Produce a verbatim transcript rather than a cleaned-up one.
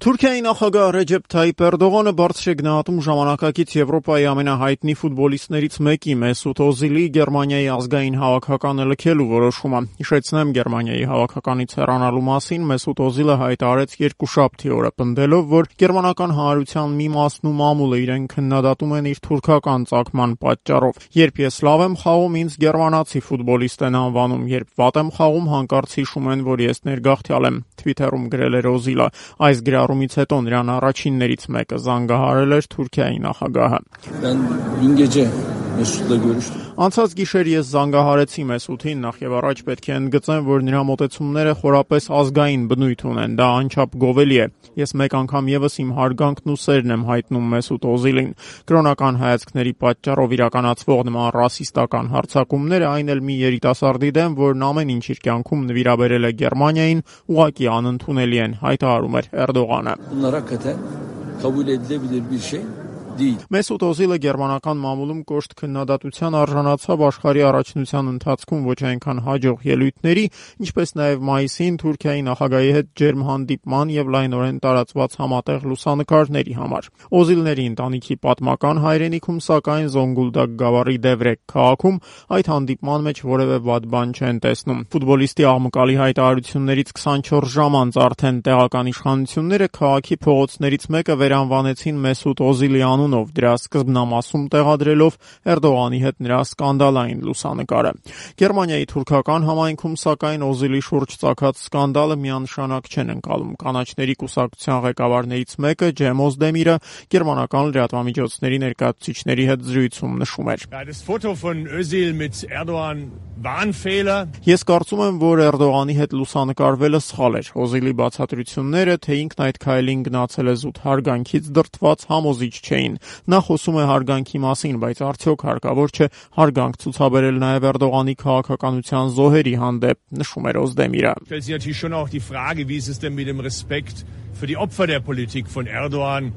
Թուրքիայի նախագահ Ռեջեփ Թայիփ Էրդողանը բարձր է գնահատում ժամանակակից Եվրոպայի ամենահայտնի ֆուտբոլիստներից մեկի Մեսուտ Օզիլի Գերմանիայի ազգային հավաքականը լքելու որոշումը։ Հիշեցնեմ, Գերմանիայի հավաքականից հեռանալու մասին Մեսուտ Օզիլը հայտարարեց երկուշաբթի օրը, պնդելով, որ գերմանական հանրության մի մասն ու մամուլը իրեն քննադատում են իր թուրքական ծագման պատճառով։ Երբ ես լավ եմ խաղում, ինձ գերմանացի ֆուտբոլիստ են անվանում, երբ վատ եմ խաղում, հանկարծ հիշում են, որ ես ներգաղթյալ եմ, Թվիթերում գրել էր Օզիլը։ Այս գրառումից հետո նրան առաջիններից մեկը զանգահարել էր Թուրքիայի նախագահը։ Անցած գիշեր ես զանգահարեցի Մեսութին, նախ եւ առաջ պետք է ընդգծեմ, որ նրա մոտեցումները խորապես ազգային բնույթ ունեն, դա անչափ գովելի է։ Ես մեկ անգամ եւս իմ հարգանքն ու սերն եմ հայտնում Մեսուտ Օզիլին։ Կրոնական հայացքների պատճառով իրականացվող նման ռասիստական հարձակումները, այն էլ մի երիտասարդի դեմ, որն ամեն ինչ իր կյանքում նվիրաբերել է Գերմանիային, ուղղակի անընդունելի են, հայտարարում էր Էրդողանը։ Մեսուտ Օզիլը գերմանական մամուլում կոշտ քննադատության արժանացավ աշխարհի առաջնության ընթացքում ոչ այնքան հաջող ելույթների, ինչպես նաև մայիսին Թուրքիայի նախագահի հետ ջերմ հանդիպման եւ լայնորեն տարածված համատեղ լուսանկարների համար։ Օզիլների ընտանիքի պատմական հայրենիքում, սակայն, Զոնգուլդակ գավառի Դևրեկ քաղաքում այդ հանդիպման մեջ որևէ վատ բան չեն տեսնում։ Ֆուտբոլիստի աղմկալի հայտարարություններից քսանչորս ժամ անց արդեն տեղական իշխանությունները քաղաքի փողոցներից մեկը վերանվանեցին Մեսուտ Օզիլի անունով, դրա սկզբնամասում տեղադրելով Էրդողանի հետ նրա սկանդալային լուսանկարը։ Գերմանիայի թուրքական համայնքում, սակայն, Օզիլի շուրջ ծագած սկանդալը միանշանակ չեն ընկալում։ Կանաչների կուսակցության ղեկավարներից մեկը, Ջեմ Օզդեմիրը, գերմանական լրատվամիջոցների ներկայացուցիչների հետ զրույցում նշում էր. Ես կարծում եմ, որ Էրդողանի հետ լուսանկարվելը սխալ էր։ Օզիլի բացատրությունները, թե ինքն այդ քայլին գնացել է զուտ հարգանքից դրդված, համոզիչ չէին։ Նա խոսում է հարգանքի մասին, բայց արդյոք հարկավոր չէ հարգանք ցուցաբերել նաև Էրդողանի քաղաքականության զոհերի հանդեպ, նշում էր Օզդեմիրը։ Stellt sich natürlich schon auch die Frage, wie ist es denn mit dem Respekt für die Opfer der Politik von Erdogan?